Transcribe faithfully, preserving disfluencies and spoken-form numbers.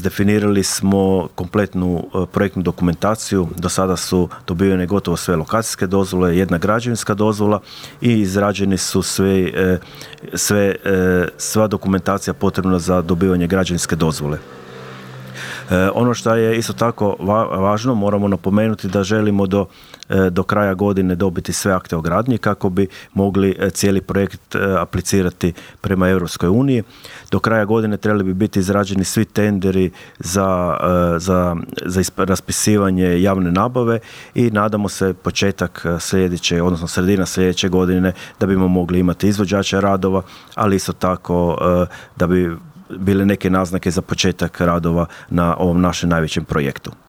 Definirali smo kompletnu projektnu dokumentaciju, do sada su dobivene gotovo sve lokacijske dozvole, jedna građevinska dozvola i izrađeni su sve, sve, sva dokumentacija potrebna za dobivanje građevinske dozvole. Ono što je isto tako važno, moramo napomenuti da želimo do, do kraja godine dobiti sve akte o gradnji kako bi mogli cijeli projekt aplicirati prema Europskoj uniji. Do kraja godine trebali bi biti izrađeni svi tenderi za, za, za raspisivanje javne nabave i nadamo se početak sljedeće, odnosno sredina sljedeće godine da bimo mogli imati izvođača radova, ali isto tako da bi bile neke naznake za početak radova na ovom našem najvećem projektu.